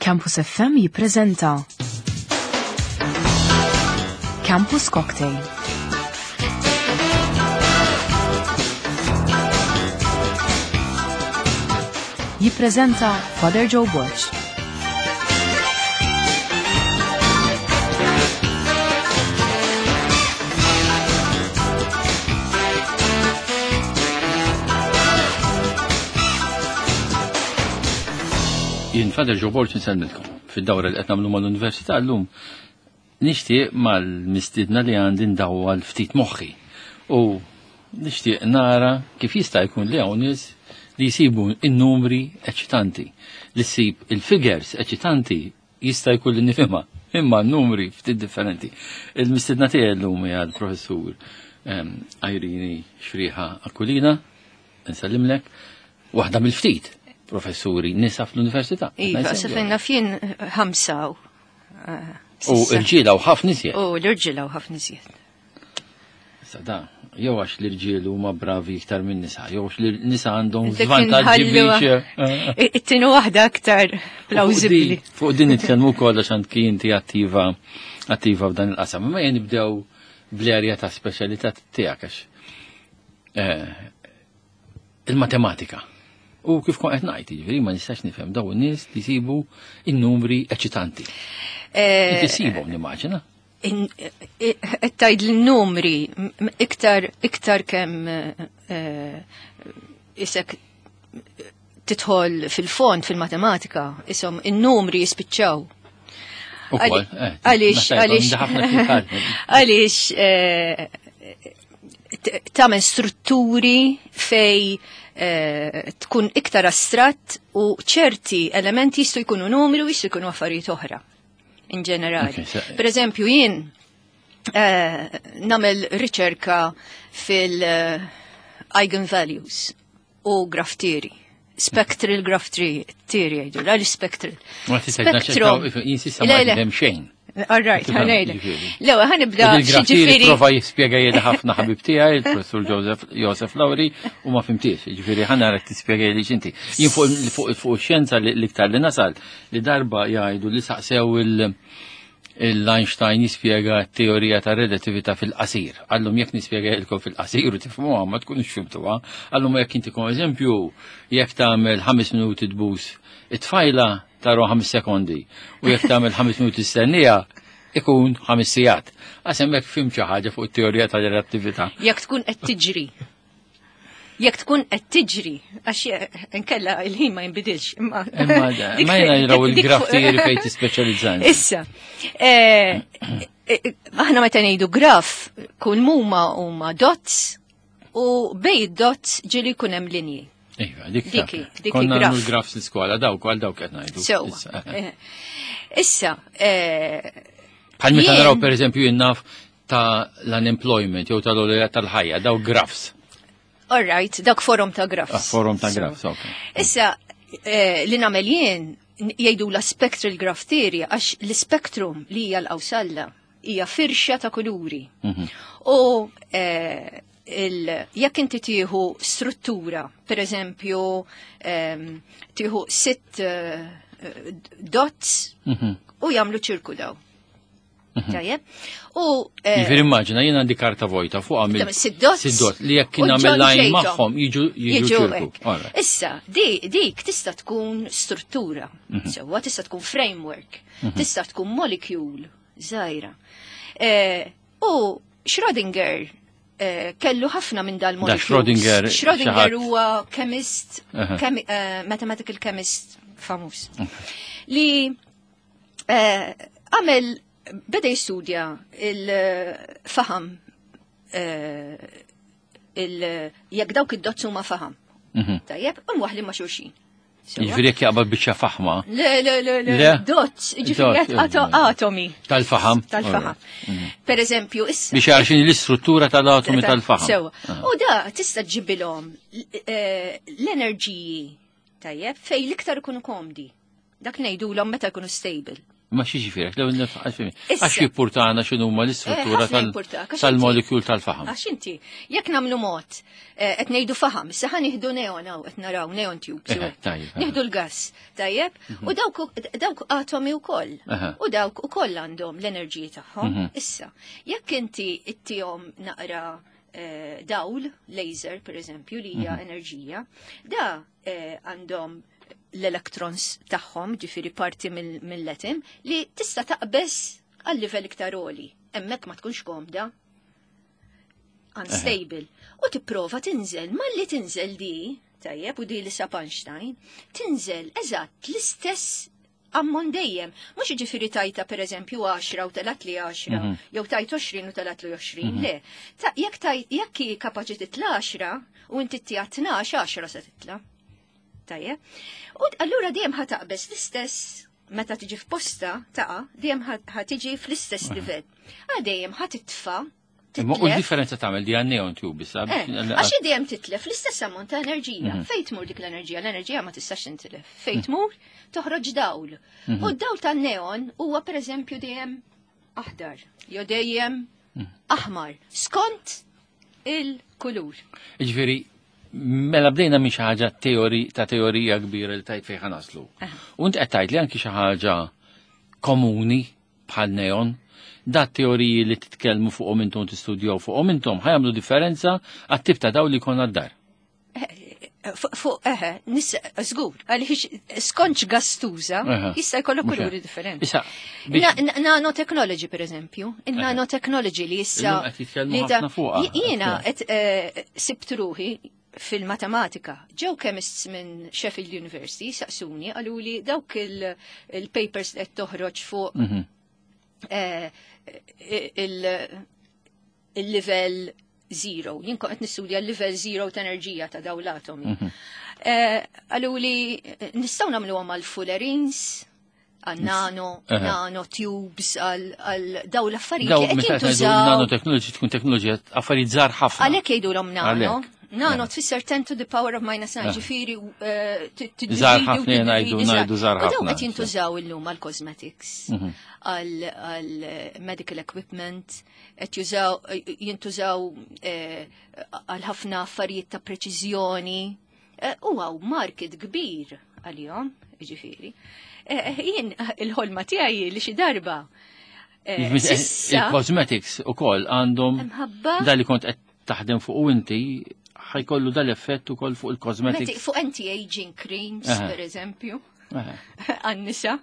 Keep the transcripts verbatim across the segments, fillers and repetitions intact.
Campus F M jippreżenta Campus Cocktail. Jippreżenta Father Joe Borg. Jien Father Joe Borg nsellmilkom. Fid-dawra li qed nagħmlu mal-università llum nixtieq mal-mistiedna li għandi ndawwal ftit moħħi. U nixtieq nara kif jista' jkun li hawn nies li jsibu n-numri eċitanti, li ssib il-figures eċitanti jista' jkun li nifhimha, imma n-numri ftit differenti. Il-mistiedna tiegħi llum hija l-professur, ehm, Irene Xriħa Aquilina, nsellimlek, waħda mill-ftit professuri nisa fl-università. Iva, Najsem sa jew. fejn naf jien ħamsa u, eh, U sissa. irġiela u ħafna iżjed. U l-irġiela u ħafna iżjed. Issa da, jew għax l-irġiel huma bravi iktar minn nisa, jew għax l-nisa għandhom Dik żvantaġġi inħalluha. biex, eh, It-tieni waħda aktar plawsibbli. Fuq din nitkellmu wkoll għax anki inti attiva, attiva f'dan il-qasam. Imma jien nibdew bl-erja ta' speċjalità tiegħek għax, eh, il-matematika. U kif kont qed ngħid, jiġifieri ma nistax nifhem dawn in-nies li jsibu n-numri eċitanti. Eh, Inti ssibhom nimmaġina. in-, eh, qed tgħid l-numri m-, m-, iktar, iktar kemm, eh, isek tidħol fil-fond fil-matematika, isom in-numri jispiċċaw. Ukoll, Għali- eh, għaliex, naħseb għaliex, għandi ħafna fil-kalb. għaliex, eh, t-, tagħmel strutturi fej, eh, tkun iktar astratt u ċerti elementi jistgħu jkunu numri u jistgħu jkunu affarijiet oħra in ġenerali. Okay, so Per eżempju, jien, eh, nagħmel riċerka fil-, eh, eigenvalues u graph theory. Spectral graph theory, theory jgħidu, għal spectral. Ma tistax naċċettaw, Spectrum. if-, jien s'issa Le, ma le. nifhem xejn. All right, Tifhem, ħanejlek. ġifieri. Lewa, ħanibda U dil-graph theory xiġifieri. Prova jispjega jien ħafna ħabib tiegħi, il-professur Joseph, Joseph Lauri, u ma fimtiex, ġifieri ħa narak tispjega li x'inti. Jien fuq, fuq, fuq xjenza li l-iktar li nasal, li darba jgħidu li saqsew il-, l-Einstein jispjega t-teorija ta' relatività fil-qasir. Għallum jekk nispjega ilkom fil-qasir u tifhmuha ma tkunux fhimtuha. Għallum jekk inti kom eżempju, jekk tagħmel ħames minuti tbus it-tfajla taru ħames sekondi u jekk tagħmel ħames minuti stennija ikun ħames sigħat. Għax hemmhekk fhimt xi ħaġa fuq it-teorija tal-relattività. Jekk tkun qed tiġri. Jekk tkun qed tiġri, għax inkella il-ħin ma jinbidilx. Imma Imma da, dik ma jiena jraw dik il-graph fuq- theory fejn tispeċjalizzani. Issa, eh, eh, aħna meta ngħidu graf, kull muma huma dots u bej dots ġieli jkun hemm linji. Iva, dik Dik taf. dik Konna graf. nagħmlu l-graf l-iskola, dawk għal dawk qed ngħidu. Sewwa. Issa, Eh, issa, eh, Bħal meta jien naraw pereżempju jien naf ta' l-unemployment jew tal-għolja tal-ħajja, daw grafs. All right, dak forum ta' grafs. Ah, forum ta' So, grafs, ok. Issa, eh, li nagħmel jien jgħidu la spectral graph theory għax l-spektrum li hija l-qawsalla hija firxa ta' kuluri. Mhm. U, eh, il-, jekk inti tieħu struttura, per eżempju, ehm, tieħu sitt, eh, dots Mhm. u jagħmlu ċirku daw. Mhm. Tajjeb. U, eh, Jiġifieri immaġina jien għandi karta vojta fuq għamil Tamam, sitt dots. sitt dots li jekk U nagħmel ġon line ġejtom. magħhom jiġu, jiġu Jiġu ċirku. hekk. All right. Issa, di-, dik tista' tkun struttura, Mhm. sewwa tista' tkun framework, Mhm. tista' tkun molecule żgħira. Eh, u Schrödinger, eh, kellu ħafna minn dal Da molecules. Schrödinger Schrödinger xi ħadd. huwa chemist, Aha. chemi-, eh, mathematical chemist famuż. Ok. Li, eh, għamel beda jistudja il-faham, eh, il-, jekk dawk id-dots huma faham. Mhm. Tajjeb, u mwaħli ma' xulxin. Sewa? Jiġifieri jekk jaqbad biċċa faħma. Le, le, le, le, Le? dots, jiġifieri Dots, jekk ato-, eh, atomi. Tal-faham. Tal-faham. Alright. Mhm. Per eżempju, issa. Biex għarxin l-istruttura tal-atomi Ta- tal-faham. Sewa. Ah. U da tista' ġibilhom, eh, l-enerġiji, tajjeb, fej l-iktar ikunu komdi. Dak ngħidulhom meta jkunu stable. Ma xi ġifieri, għax jippurtana x'inhuma l-istruttura tal-molekjul tal-faħam. Għax inti, jekk nagħmlu mod, qed ngħidu faħam, issa ħa nieħdu neon hawn qed naraw neon tubes. Nieħdu l-gas, tajjeb, u dawk atomi wkoll. U dawk ukoll għandhom l-enerġiji tagħhom. Issa, jekk inti ittihom naqra dawl, laser per eżempju, li hija enerġija, da għandhom l-electrons tagħhom, ġifieri parti mill-atom, li tista' taqbeż għal livell iktar għoli. Hemmhekk ma tkunx komda. Unstable. U tipprova tinżel, malli tinżel di, tajjeb, u di li sab Einstein, tinżel eżatt l-istess ammont dejjem. Mhux ġifieri tajta per eżempju għaxra u telat li għaxra, jew tajt għoxrin u telat li għoxrin, le. Jekk jekk hi kapaċi titla għaxra u inti ttiha tnax, għaxra se titla. Tajjeb. U allura dejjem ħa taqbeż l-istess meta tiġi f'posta taqa' dejjem ħa tiġi fl-istess livell. Għal dejjem ħa titfa'. Imma u l-differenza tagħmel di għan-neon tube issa. Għax dejjem titlef l-istess ammont ta' enerġija. Fejn tmur dik l-enerġija? L-enerġija ma tistax tintilef. Fejn tmur toħroġ dawl. U d-dawl tan-neon huwa pereżempju dejjem aħdar, jew dejjem aħmar, skont il-kulur. Jiġifieri mela bdejna minn xi ħaġa teori ta' teorija kbira li tajt fejn naslu. U int qed tgħid li anki xi ħaġa komuni bħal neon, da teoriji li titkellmu fuqhom intom tistudjaw fuqhom intom ħajamlu differenza għat-tip ta' dawl li jkollna d-dar. Fuq eħe, żgur, għaliex skontx gas tuża, jista' jkollok kuluri differenti. Nanotechnology per eżempju, il-nanotechnology li issa. Jiena qed sibt ruħi fil-matematika. Ġew chemists minn Sheffield University saqsuni qalu li dawk il-papers li qed toħroġ fuq il-level zero. Jien kont qed nistudja l-level zero ta' enerġija ta' dawn l-atomi. Qalu li nistgħu nagħmluhom għal fullerenes, għal nano, nano tubes, għal daw l-affarijiet li qed jintużaw. Nanotechnology tkun teknoloġija affarijiet żgħar ħafna. Għalhekk jgħidulhom nano. Nano tfisser ten to the power of minus nine, ġifieri żgħar ħafna ngħidu ngħidu żgħar ħafna. U dawn qed jintużaw illum għal cosmetics, għal medical equipment, qed jużaw jintużaw għal ħafna affarijiet ta' preċiżjoni. U għaw market kbir għalihom, ġifieri. Jien il-ħolma tiegħi li xi darba. Il-cosmetics ukoll għandhom da li kont qed taħdem fuq u inti ħajkollu dal-effett ukoll fuq il-cosmetics. Fuq anti-aging creams, per eżempju. Għan-nisa.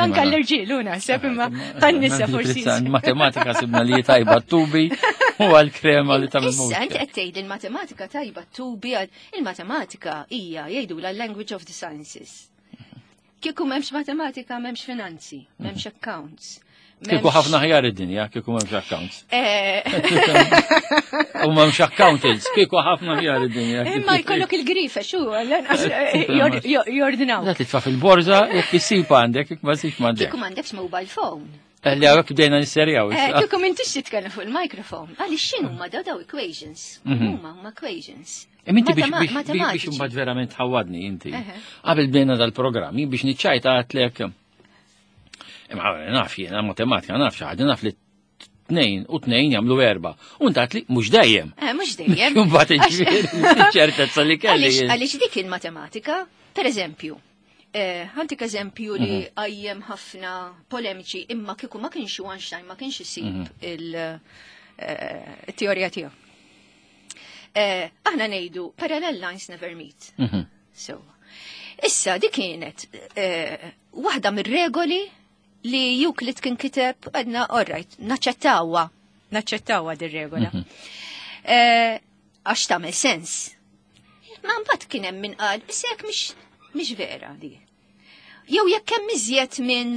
Anka l-irġiel u naħseb imma għan-nisa forsi. Matematika sibna li tajba t-tubi u għal-krema li tagħmel. Issa inti qed tgħid il-matematika tajba t-tubi, il-matematika hija jgħidu la language of the sciences. Kieku m'hemmx matematika, m'hemmx finanzi, m'hemmx accounts. Kieku ħafna ħjar id-dinja, kieku m'hemmx accounts. U m'hemmx accountants, kieku ħafna ħjar id-dinja. Imma jkollok il-grifa, xu, jordinaw. Da titfa' fil-borża, jekk issib għandek, jekk ma ssibx m'għandek. Kieku m'għandekx mobile phone. Li hawnhekk bdejna nisserjaw. Kieku m'intix titkellem fuq il-microphone. Għaliex x'inhu huma daw daw equations? Huma huma equations. Inti biex biex imbagħad verament ħawadni inti. Qabel bdejna dal-programm, biex niċċajta għadtlek. Imma naf jiena matematika, naf xi ħaġa, naf li tnejn u tnejn jagħmlu erba'. U int għadtli mhux dejjem. Mhux dejjem. Imbagħad ġifieri ċertezza li kelli. Għaliex dik il-matematika, per eżempju, ħantik eżempju li għajjem ħafna polemiċi, imma kieku ma kienx Einstein ma kienx isib il-teorija tiegħu. Aħna ngħidu parallel lines never meet. So, issa dik kienet waħda mir-regoli li Euclid kien kiteb għadna, all right, naċċettawha, naċċettawha dir-regola. Għax tagħmel sens. Ma mbagħad kien hemm min qal, issa jekk mhix vera di. Jew jekk hemm iżjed minn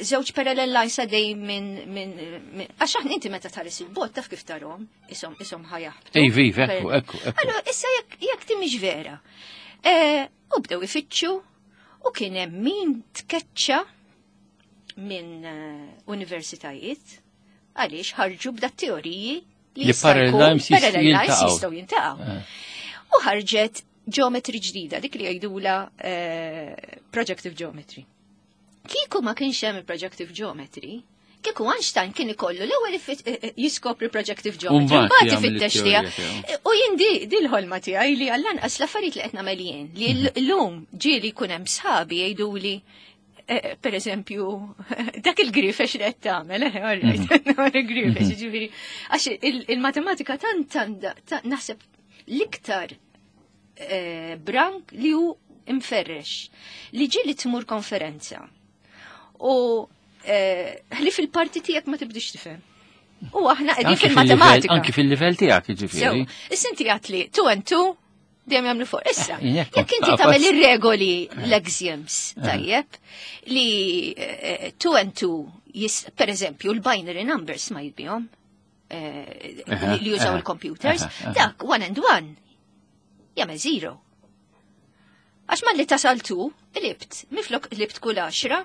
żewġ parallel lines għaddej minn minn għax aħna inti meta tħares il-bot taf kif tarhom, ishom ishom ħajaħbtu. Ej, viv, ekku, ekku, ekku. Allora issa jekk jekk ti mhix vera. U bdew ifittxu u kien hemm min tkeċċa minn universitajiet għaliex ħarġu b'da teoriji li parallel lines jistgħu jintaqgħu. U ħarġet geometry ġdida, dik li jgħidula projective geometry. Kieku ma kienx hemm il-projective geometry, kieku Einstein kien ikollu l-ewwel ifit- eh, eh, jiskopri projective geometry, mbagħad mbagħad jagħmel ifittex it-teorija tiegħu. tiegħu. U jien di di l-ħolma tiegħi li għall-anqas l-affarijiet li qed nagħmel jien, li llum ġieli jkun hemm sħabi jgħiduli eh, per eżempju, dak il-grifex li qed tagħmel, eh, all right, il-grifex, ġifieri, għax il- il-matematika tant għandha ta- naħseb l-iktar eh, brank li hu imferrex, li ġieli tmur konferenza u eh, li fil-parti tiegħek ma tibdix tifhem. U aħna qegħdin Anki fil-livell- fil-matematika. Anki fil-livell tiegħek, Sew, jiġifieri. issa inti għat li two and two dejjem jagħmlu four. Issa, Eh, jekk jekk inti qafas. tagħmel ir-regoli l-axioms, tajjeb, li eh, two and two, jis, per eżempju, l-binary numbers ma jibihom, eh, Aha, li li jużaw aha, il-computers, aha, aha. dak one and one jagħmel zero. Għax malli tasal two, qlibt, miflok qlibt kull għaxra,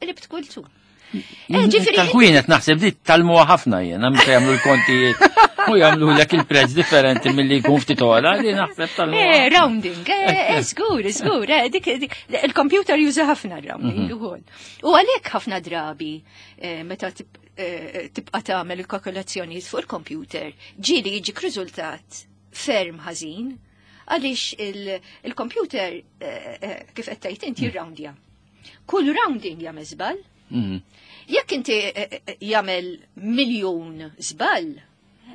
qlibt kull two. Eh, ġifieri- Tal-ħwienet naħseb di tgħallmuha ħafna jiena meta jagħmlu l-kontijiet u jagħmlu lek il-prezz differenti milli jkun ftit ogħla li naħseb tgħallmuha. Eh, rounding, eh, eh, żgur, żgur, eh, dik, dik, il-computer juża ħafna rounding ukoll. U għalhekk ħafna drabi eh, meta tib- eh, tibqa' tagħmel il-kalkolazzjonijiet fuq il-computer, ġieli jiġik riżultat ferm ħażin għaliex il- il-computer eh, eh, kif qed tgħid inti jirroundja. Kull rounding jagħmel żball. Mhm. Jekk inti eh, eh, jagħmel miljun żball,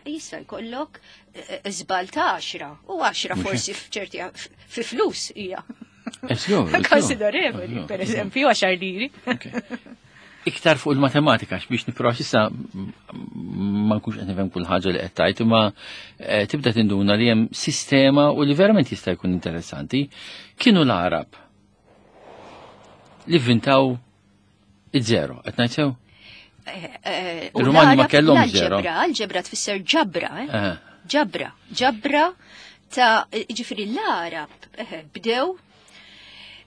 jista' jkollok eh, żball ta' għaxra u għaxra forsi f'ċerti fi flus hija Eh, żgur, żgur. konsiderevoli, Żgur, per eżempju, għaxar liri. Ok. Iktar fuq il-matematika, biex nipprova issa m- ma nkunx qed nifhem kull ħaġa li qed tgħid, imma eh, tibda tinduna li hemm sistema u li verament jista' jkun interessanti. Kienu l-Arab li vvintaw iż-żero, qed ngħid sew? Eh, u Il-Rumani ma l-Arab- kellhomx zero. L-alġebra, alġebra tfisser ġabra, eh? Eh, ġabra, ġabra ta' ġifieri l-Arab eh, bdew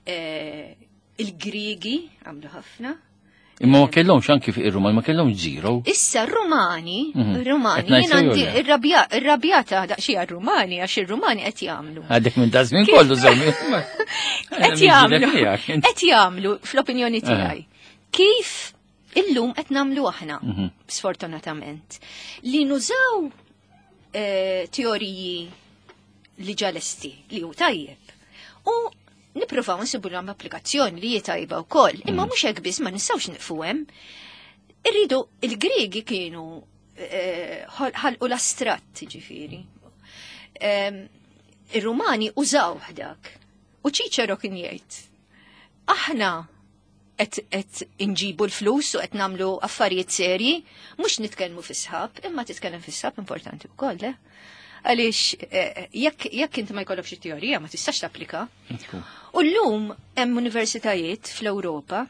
eh, il-Grigi għamlu ħafna. Imma ma kellhomx anki fi ir-Rumani ma kellhomx zero. Issa r-Rumani, Mhm. r-Rumani, Qed ngħid jien sew għandi jew le? irrabja- irrabjata daqsxejn għar-Rumani għax ir-Rumani qed jagħmlu. Għadek minn da żmien kollu żommi. Qed jagħmlu. Qed jagħmlu fl-opinjoni tiegħi. Kif illum qed nagħmlu aħna, Mhm. sfortunatament, li nużaw eh, teoriji li ġalesti li hu tajjeb. U nippruvaw nsibu l applikazzjoni li hi tajba wkoll, imma mhux hekk biss ma nistgħux nieqfu hemm. Irridu il-Griegi kienu eh, ħal- ħalqu l-astratt ġifieri. Em, Ir-Rumani użaw dak. U Ċiċero kien jgħid, aħna qed qed inġibu l-flus u qed nagħmlu affarijiet serji, mhux nitkellmu fis-sħab, imma titkellem fis-sħab importanti wkoll, eh? Għaliex eh, jekk jekk inti ma jkollokx it-teorija ma tistax tapplika. U llum hemm universitajiet fl-Ewropa,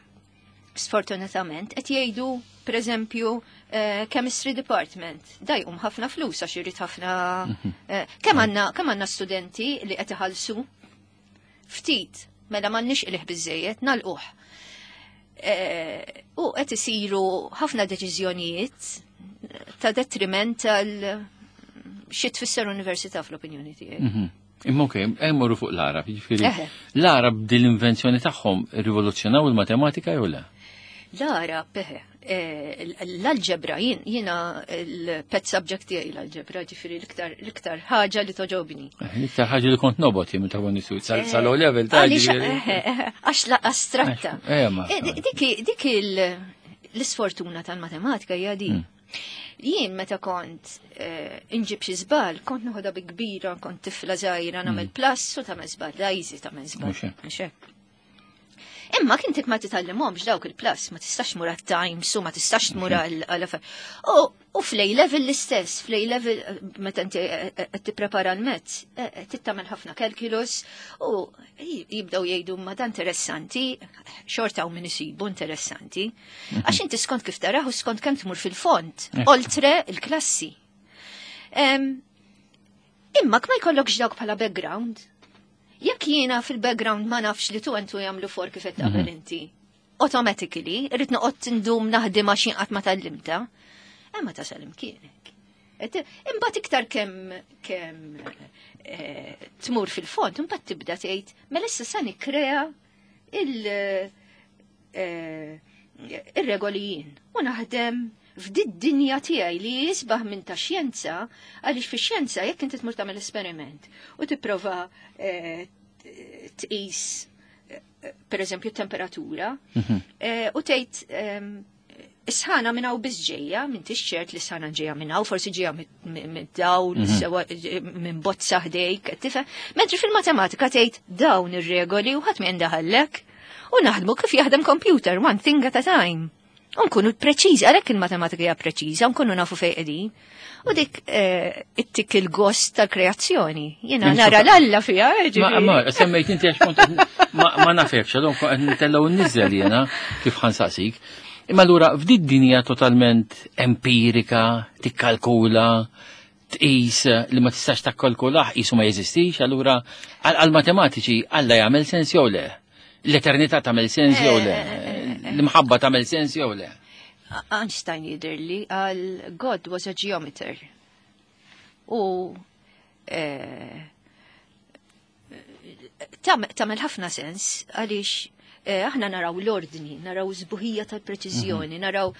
sfortunatament, qed jgħidu pereżempju eh, chemistry department. Da jqum ħafna flus għax irid ħafna eh, kemm għandna kemm għandna studenti li qed iħallsu ftit mela m'għandniex qligħ biżejjed nagħlquh. Eh, U qed isiru ħafna deċiżjonijiet ta' detriment tal xi tfisser università fl-opinjoni tiegħi. Mhm. Imma okej, emmorru fuq l-Arab, jiġifieri. Eħe. L-Arab din l-invenzjoni tagħhom rivoluzzjonaw il-matematika jew le? L-Arab, eħe, eh, l-alġebra, jien- jiena il-pet subject tiegħi l-alġebra, ġifieri l-iktar l-iktar ħaġa li togħġobni. Eh, L-iktar ħaġa li kont nobgħod jien meta kont nisu sal level ta' Għaliex, ġifieri. eħe, eħe, għax la astratta. Għax- eh, ma- Eh, di- Dik dik il- l-isfortuna tal-matematika hija di. Mm. Jien meta kont eh, inġib xi żball, kont noħodha bi kbira, kont tifla żgħira nagħmel plus u tagħmel żball, da easy tagħmel żball. Mhux hekk. Mhux hekk. Imma kintik ma titgħallimhomx dawk il-plus, ma tistax tmur għat-times u ma tistax tmur għal għal U u fl-A level l-istess, fl-A level eh, meta inti eh, eh, qed tipprepara l-mezz, tittamel ħafna calculus u jibdew jgħidu ma dan interessanti, xorta u min isibu interessanti. Għax inti skont kif taraħ u skont kemm tmur fil-fond, oltre il-klassi. Em, Imma ma jkollokx dawk bħala background. Jekk jiena fil-background ma nafx li two and two jagħmlu four kif qed taqbel inti. Automatically, irrid noqgħod ndum naħdem għax jien qatt ma tgħallimta. Imma tasal imkienek. Et- Imbagħad iktar kemm kemm eh, tmur fil-fond, imbagħad tibda tgħid mela issa sa nikkrea il eh, ir-regoli jien u naħdem f'did dinja tiegħi li jisbaħ minn ta' xjenza, għaliex fi xjenza jekk inti tmur tagħmel esperiment u tipprova eh, tqis eh, per eżempju temperatura Mhm. eh, u tgħid ehm, is-sħana minn hawn biss ġejja, minn ċert li s-sħana ġejja minn hawn, forsi ġejja mid-dawl, Mhm. sewa minn bozza ħdejk, tifhem. Mentri fil-matematika tgħid dawn ir-regoli u ħadd ma jindaħallek. U naħdmu kif jaħdem computer, one thing at a time. U nkunu preċiżi, għalhekk il-matematika hija preċiża, nkunu nafu fejn qegħdin. U dik eh, ittik il-gost tal-kreazzjoni. Jiena Insomma- nara l-alla fiha, eh, Ma, ġifieri. ma, semmejt inti għax kont ma, ma nafekx, għadhom kont qed nitellgħu nniżel jiena kif ħansaqsik. Imma allura f'did dinja totalment empirika, tikkalkula, tqis li ma tistax takkalkulaħ qisu ma jeżistix, allura għal matematiċi Alla jagħmel sens jew le? L-eternità tagħmel sens jew le? L-imħabba tagħmel sens jew le? Einstein jidirli għal God was a geometer. U eh, tam- tagħmel ħafna sens għaliex eh, aħna naraw l-ordni, naraw sbuħija tal-preċiżjoni, naraw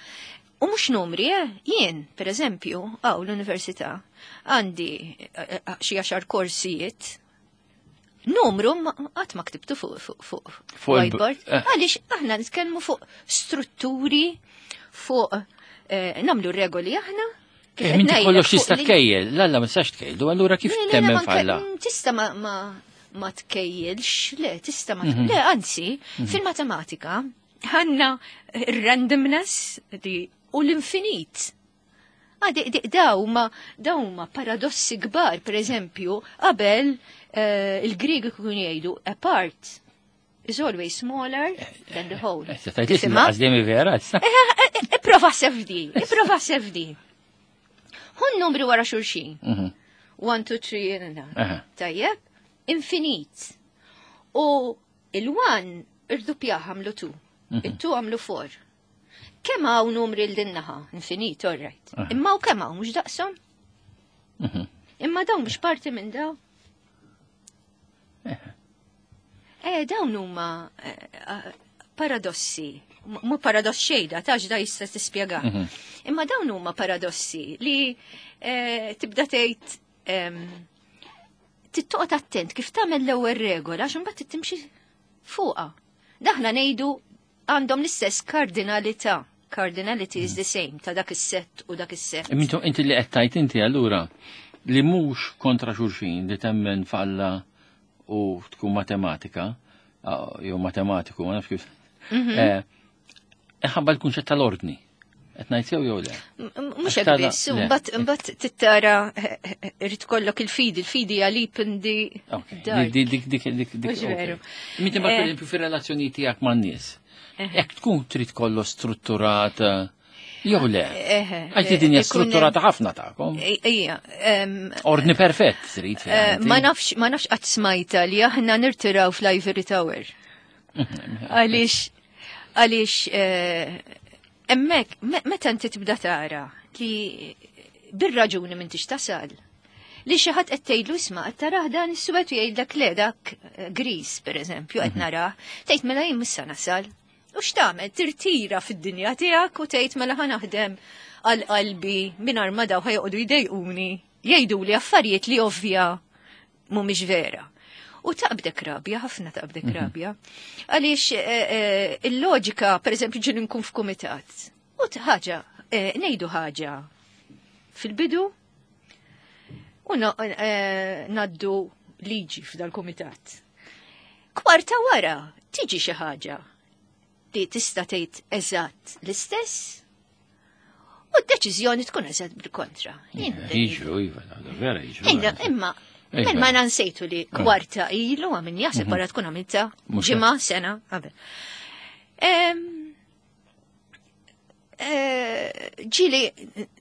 U mhux numri, eh? Jien, per eżempju, għaw l-università, għandi eh, eh, xi għaxar korsijiet, numru ma- qatt ma ktibtu fuq fuq fuq Fuq il- whiteboard, eh. għaliex aħna nitkellmu fuq strutturi, fuq eh, namlu regoli aħna. Kif Eh, qed Minti ngħidlek, kollox fuq tista' li- tkejjel, l-alla ma tistax tkejlu, allura kif Le, le, le, temmen ma nke- falla? mm, Tista ma ma ma tkejjilx, le, tista ma Mhm. le, anzi, fil-matematika għandna randomness di u l-infinit. Ah, di, di, daw ma daw ma paradossi kbar, per eżempju, qabel eh, il-Grieg ikun jgħidu a part is always smaller than the whole. Eh, Se tajt li Tifhimha? għazdemi vera, issa. Ipprova sefdi, ipprova sefdi. Hun numri wara xulxin. Mhm. One, two, three, na. Aha. Tajjeb, infinit. U il-one irdupjaħ għamlu two, il-two għamlu four. Kemm hawn numri l-dinnaħa? Infinit, all right. Aha. Imma u kemm hawn mhux daqshom? Mhm. Imma dawn mhux parti minn daw. Eh, dawn huma eh, eh, paradossi. M- Mu paradoss xejda, tax da jista' tispjega. Mhm. Imma dawn huma paradossi li eh, tibda tgħid em, tittoqgħod attent kif tagħmel l-ewwel regola għax imbagħad timxi fuqha. Daħna ngħidu għandhom l-istess kardinalità. Cardinality is the same ta' dak is-set u dak is-set. Mintu inti li qed tajt inti allura li mhux kontra xulxin li temmen falla u tkun matematika ah, jew matematiku ma nafx kif. Mhm. Eh, Ħabba l-kunċett tal-ordni. Qed ngħid sew jew le? Mhux Għax hekk tara- biss, le. mbagħad imbagħad tittara eh, eh, irid kollok il-fidi, il-fidi għalip indi Ok. dark. Dik dik dik dik dik. Mhux veru. Minti ma Eh. per esempio fir-relazzjoni tiegħek man-nies. Jekk tkun trid kollu strutturata jew le. Eh, Għax di dinja ikun hemm- strutturata ħafna tagħkom. Ija, em, Ordni perfett trid fiha eh, inti. ma nafx ma nafx qatt smajta li aħna nirtiraw fl-Ivory Tower. Għaliex għaliex eh, hemmhekk me- meta inti tibda tara li bir-raġuni m'intix tasal. Li xi ħadd qed tgħidlu isma' qed tarah dan is-suwed u jgħidlek le dak eh, gris pereżempju qed narah, tgħid mela jien missa nasal. U x'tagħmel? Tirtira fid-dinja tiegħek u tgħid mela ħa naħdem għal qalbi mingħajr ma daw ħajoqogħdu jdejquni, jgħidu li affarijiet li ovvja mhumiex vera. U taqbdek rabja, ħafna taqbdek rabja. Għaliex eh, eh, il-loġika, per eżempju, ġin nkun f'kumitat. U t- ħaġa, eh, ngħidu ħaġa fil-bidu u na- eh, naddu liġi f'dal-kumitat. Kwarta wara tiġi xi ħaġa li tista' tgħid eżatt l-istess u d-deċiżjoni tkun eżatt bil-kontra. Jien Jiġru, iva, da vera jiġru. Ejda, imma, Iva. men ma nansejtu li kwarta ilu għamin jaħseb wara tkun għamilta Mhux ġimgħa, sena, qabel. Em, eh, Ġili,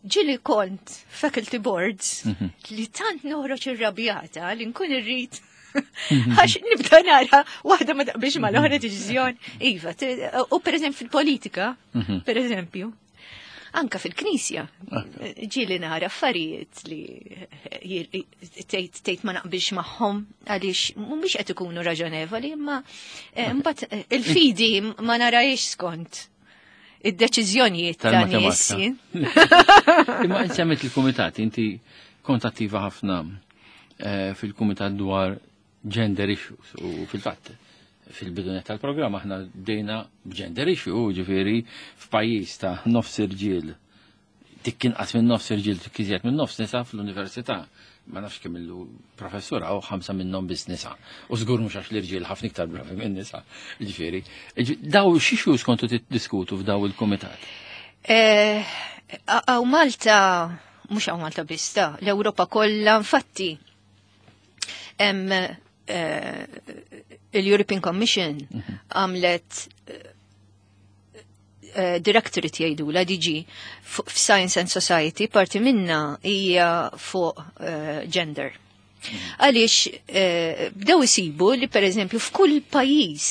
ġili kont faculty boards li tant noħroġ irrabjata li nkun irrid għax nibda nara waħda ma taqbilx ma l-oħra deċiżjoni. Iva, t- u per eżempju fil-politika, per eżempju, anka fil-knisja. Ġili nara affarijiet li tgħid tgħid ma naqbilx magħhom għaliex mhumiex qed ikunu raġonevoli, imma eh, mbagħad eh, il-fidi ma narajx skont id-deċiżjonijiet ta' nies. Imma semmejt il-kumitat, inti kont attiva ħafna eh, fil-kumitat dwar gender issues u fil-fatt fil-bidunet tal-programm aħna bdejna b'gender issue, ġifieri f'pajjiż ta' nofs irġiel, dik inqas minn nofs irġiel, dik iżjed minn nofs nisa fl-università. Ma nafx kemm illu professura u ħamsa minnhom biss nisa. U żgur mhux għax l-irġiel ħafna iktar bravi minn nisa. Ġifieri, daw x'issues kontu tiddiskutu f'daw il-kumitat? Eh, hawn Malta, mhux hawn Malta biss, ta' l-Ewropa kollha, infatti, hemm eh, il-European Commission għamlet eh, directorate jgħidu la D G f'Science and Society, parti minna hija fuq eh, gender. Għaliex eh, bdew isibu li, per eżempju, f'kull pajjiż,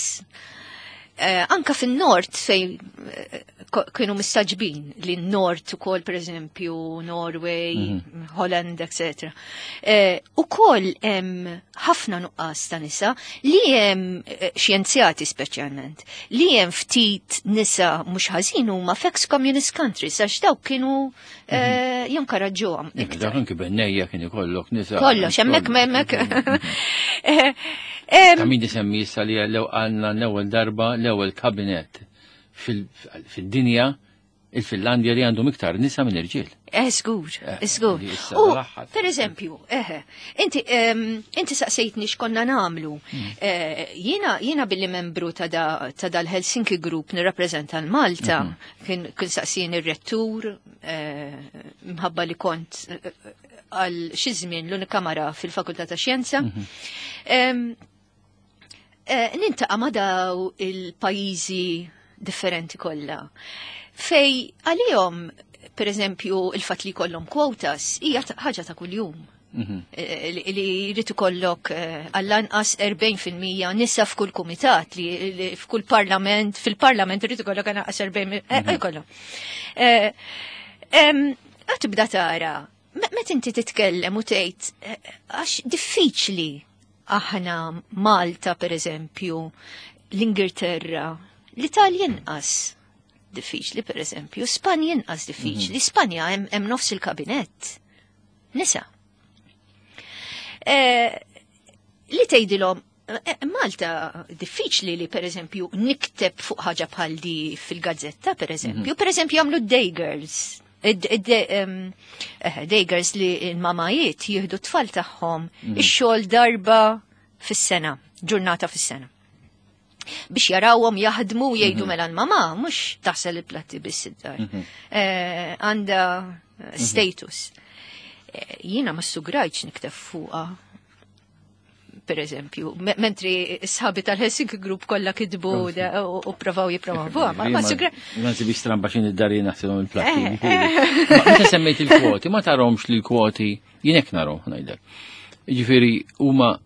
eh, anka fin-nord fej eh, ko- kienu mistagħġbin li n-nord ukoll, per eżempju, Norway, Holland, et cetera. Eh, ukoll hemm ħafna nuqqas ta' nisa li hemm eh, xjenzjati speċjalment, li hemm ftit nisa mhux ħażin huma f'ex-communist countries, għax dawk kienu eh, jinkoraġġuhom iktar. Dak anki bennejja kien ikollok nisa. Kollox, hemmhekk hemmhekk. Eh, em, Ta' min isemmi issa li l għandna l-ewwel darba l-ewwel kabinet fil- fid-dinja, il-Finlandja, li għandhom iktar nisa minn irġiel. Eh, żgur, Eh, żgur. li issa U, l-aħħar. per eżempju, eh, inti, em, inti saqsejtni x'konna nagħmlu. Hmm. Eh, Jiena jiena billi membru ta' da- ta' dal-Helsinki Group nirrappreżenta l-Malta, Mhm. kien kien saqsien ir-rettur, eh, mħabba li kont eh, għal xi żmien l-unika mara fil-Fakultà ta' Xjenza. Mhm. Em, eh, Niltaqa' ma' daw il-pajjiżi differenti kollha. Fej għalihom, per eżempju, il-fatt li kollhom quotas hija ta- ħaġa ta' kuljum. Mhm. Eh, Li li jrid ikollok eh, għall-anqas erbgħin fil-mija nisa f'kull kumitat, li li f'kull parlament, fil-parlament irid ikollok anqas erbgħin, eh, ikollok. Eh, em, Għad tibda tara, me- meta inti titkellem u tgħid eh, għax diffiċli aħna Malta, per eżempju, l-Ingilterra, l-Italja inqas diffiċli, per eżempju, Spanja inqas diffiċli, Spanja hemm hemm nofs il-kabinett. Nisa. Eh, li tgħidilhom eh, Malta diffiċli li, per eżempju, nikteb fuq ħaġa bħal di fil-gazzetta, per eżempju. Per eżempju, jagħmlu day girls. Id- id- em, eh, Day girls li l-mamajiet jieħdu tfal tagħhom ix-xogħol darba fis-sena, ġurnata fis-sena. Biex jarawhom jaħdmu u jgħidu mela l-mama mhux taħsel il-platti biss id-dar. Eh, Għandha status. Eh, Jiena ma sugrajtx nikteb fuqha, per eżempju, me- mentri sħabi tal-Helsinki Group kollha kitbu da- u u provaw jippromovuha, ma ma sugra. Ma nsibix stramba xin id-dari naħsilhom il-platti. Eh, Ma Meta semmejt il-kwoti, ma tarahomx li l-kwoti, jien hekk narahom, ngħidlek. Ġifieri huma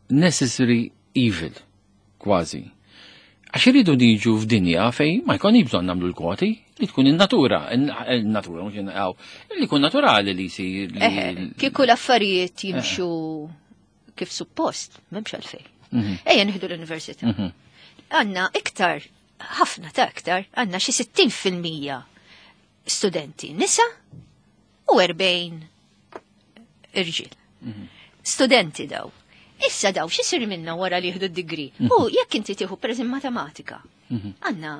necessary evil, kważi. Għax iridu niġu f'dinja fej ma jkun bżonn nagħmlu l-kwoti, li tkun in-natura, in-natura mhux in- li jkun naturali li jsir. li- Eħe, kieku l-affarijiet jimxu kif suppost, m'hemmx għalfej. Mhm. Ejja nieħdu l-università. Mhm. Għandna iktar, ħafna ta' iktar, għandna xi sittin fil-mija studenti nisa u erbgħin irġiel. Studenti daw. Issa daw x'isir minna wara li jieħdu d-degree? U jekk inti tieħu, pereżempju, matematika, għandna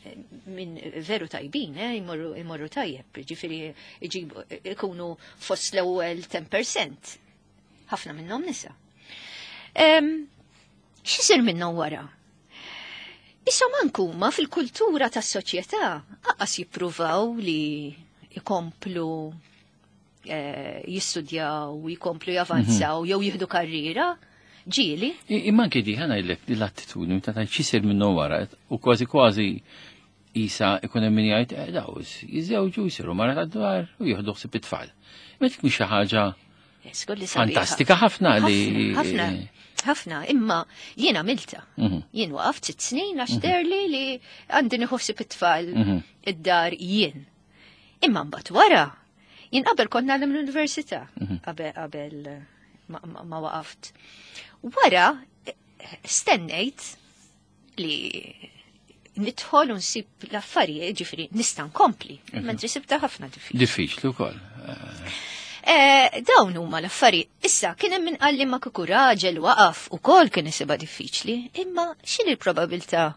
eh, minn veru tajbin, eh, jmorru, jmorru tajjeb, ġifieri iġibu, ikunu fost l-ewwel għaxra fil-mija. Ħafna minnhom nisa. Em, X'isir minnhom wara? Issa mankuma fil-kultura tas-soċjetà aqas jippruvaw li jkomplu eh, jistudjaw, jkomplu javanzaw, jew jieħdu karriera, ġieli. I- Imma anke di ħa ngħidlek di l-attitudni ta' ta' x'isir minnu wara u kważi kważi isa ikun hemm min jgħid eh, daw jiżewġu, jsiru mara tad-dwar u jieħdu ħsieb it-tfal. Imma dik mhix xi ħaġa Żgur li sabiħa. fantastika ħafna li Ħafna, ħafna, imma jien għamilta. Mhm. Jien waqaft sitt snin għax derli li għandi nieħu ħsieb it-tfal Mhm. id-dar jien. Imma mbagħad wara, jien qabel kont nagħlem l-università, Mhm. qabel qabel ma, ma, ma waqaft. Wara eh, stennejt li Nidħol u nsib l-affarijiet, ġifieri nista' nkompli, mentri sibta ħafna diffiċli. Diffiċli wkoll. Eh, dawn huma l-affarijiet. Issa kien hemm min qalli ma kieku raġel waqaf ukoll kien isibha diffiċli, imma x'inhi l-probabilità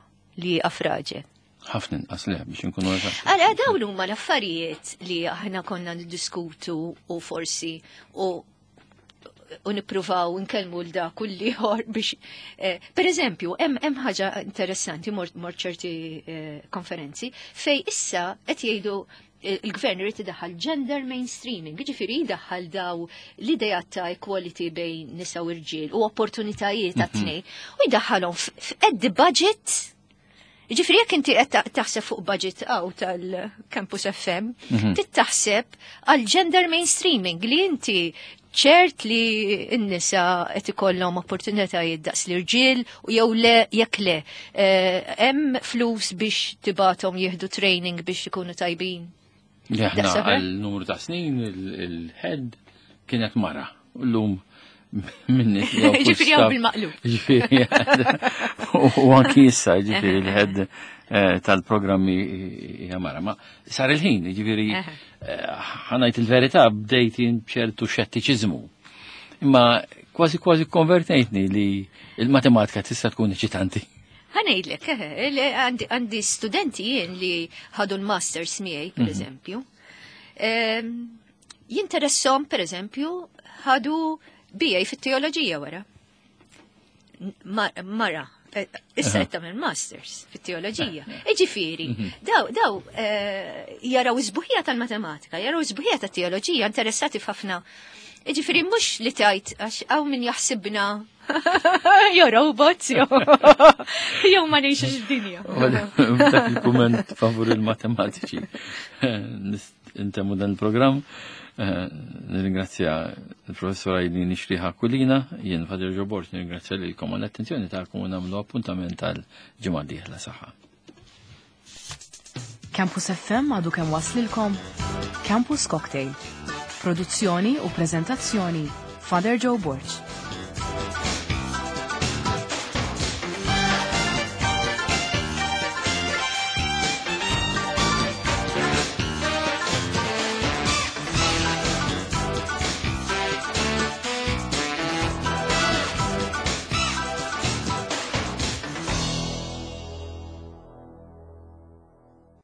li jaqaf raġel? Ħafna inqas le biex inkunu eżatti. Għala dawn huma l-affarijiet li aħna konna niddiskutu u forsi u u nippruvaw nkellmu l dak u l-ieħor biex eh, per eżempju, hemm hemm ħaġa interessanti mort mort ċerti eh, konferenzi fej issa qed jgħidu eh, il-gvern irid idaħħal gender mainstreaming, jiġifieri jdaħħal daw l-idea ta' equality bejn nisa u rġiel u opportunitajiet ta' tnejn u jdaħħalhom at the budget. Ġifieri jekk inti qed taħseb fuq budget għaw tal-Campus F M, trid taħseb għal gender mainstreaming li inti ċert li n-nisa qed ikollhom opportunitajiet daqs l-irġiel u jew le jekk le. Eh, Hemm flus biex tibgħathom jieħdu training biex ikunu tajbin. Li aħna Daqs għal numru ta' snin il-head kienet mara. U llum minni. Ġifieri hawn bil-maqlub. Ġifieri, u anki issa, ġifieri, il-head eh, tal-programmi hija mara. Ma sar il-ħin, ġifieri, eh, ħa ngħid il-verità, bdejt jien b'ċertu xettiċiżmu. Imma kważi kważi konvertejtni li il-matematika tista' tkun eċitanti. Ħa ngħidlek, eh, li għandi għandi studenti jien li ħadu l-masters miegħi, per eżempju. Ehm, Jinteressom, per eżempju, ħadu B A fit-teoloġija wara. Ma- Mara, eh, issa qed tagħmel masters fit-teoloġija. Iġifieri, daw daw eh, jaraw is-sbuħija tal-matematika, jaraw is-sbuħija tat-teoloġija, interessati f'ħafna. Iġifieri mhux li tajt għax hawn min jaħsibna jew robots jew jew ma ngħixux id-dinja. Dak il-kumment favur il-matematiċi. Intemmu dan il-programm. Eh, Nirringrazzja il-professor Eileen Nixriħa Kulina, jien Father Joe Borg, nirringrazzja lilkom għall-attenzjoni tagħkom u nagħmlu appuntament tal-ġimgħa d-dieħla saħħa. Campus F M għadu kemm waslilkom Campus Cocktail. Produzzjoni u prezentazzjoni Father Joe Borg.